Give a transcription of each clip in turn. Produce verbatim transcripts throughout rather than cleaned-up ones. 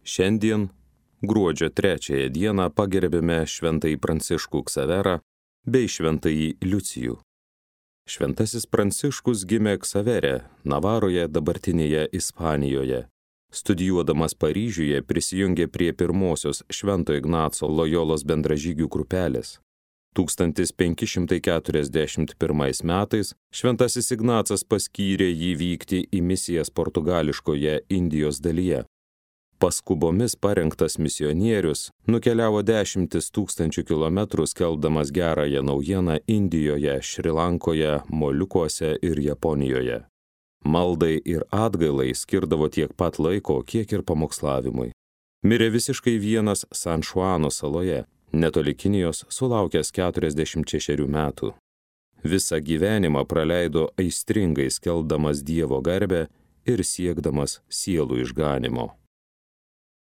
Šiandien, gruodžio trečiąją dieną, pagerbėme šventąjį Pranciškų Ksaverą bei šventąjį Liucijų. Šventasis Pranciškus gimė Ksavere, Navaroje, dabartinėje Ispanijoje. Studijuodamas Paryžiuje prisijungė prie pirmosios Švento Ignaco Lojolos bendražygių grupelės. tūkstantis penki šimtai keturiasdešimt pirmais metais Šventasis Ignacas paskyrė jį vykti į misijas portugališkoje Indijos dalyje. Paskubomis parengtas misionierius nukeliavo dešimtis tūkstančių kilometrų skelbdamas gerąją naujieną Indijoje, Šri Lankoje, Moliukuose ir Japonijoje. Maldai ir atgailai skirdavo tiek pat laiko, kiek ir pamokslavimui. Mirė visiškai vienas San Šuano saloje, netoli Kinijos, sulaukęs keturiasdešimt šešerių metų. Visą gyvenimą praleido aistringai skelbdamas Dievo garbę ir siekdamas sielų išganimo.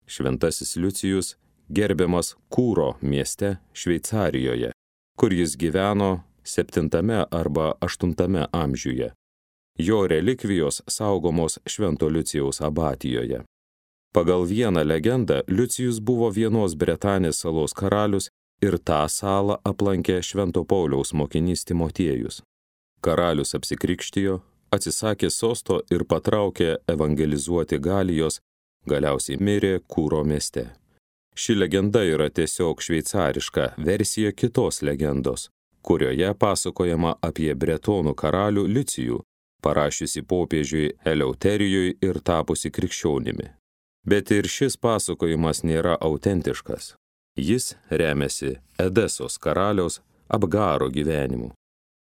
Šventasis Liucijus gerbiamas Kūro mieste Šveicarijoje, kur jis gyveno septintame arba aštuntame amžiuje. Jo relikvijos saugomos Švento Liucijaus abatijoje. Pagal vieną legendą Liucijus buvo vienos Bretanės salos karalius ir tą salą aplankė Švento Pauliaus mokinys Timotiejus. Karalius apsikrikštijo, atsisakė sosto ir patraukė evangelizuoti Galijos, galiausiai mirė Kūro mieste. Ši legenda yra tiesiog šveicariška versija kitos legendos, kurioje pasakojama apie bretonų karalių Liucijų, parašiusi popiežiui Eleuterijui ir tapusi krikščionimi. Bet ir šis pasakojimas nėra autentiškas. Jis remiasi Edesos karaliaus Abgaro gyvenimu.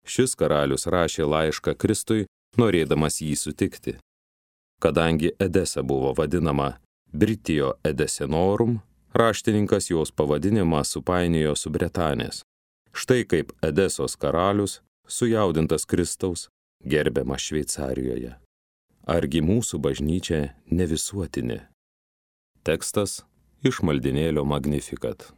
Šis karalius rašė laišką Kristui, norėdamas jį sutikti. Kadangi Edesa buvo vadinama Britio Edesenorum, raštininkas jos pavadinimą supainiojo su Bretanės. Štai kaip Edesos karalius, sujaudintas Kristaus, gerbiamas Šveicarijoje. Argi mūsų bažnyčia ne visuotinė? Tekstas iš maldinėlio Magnificat.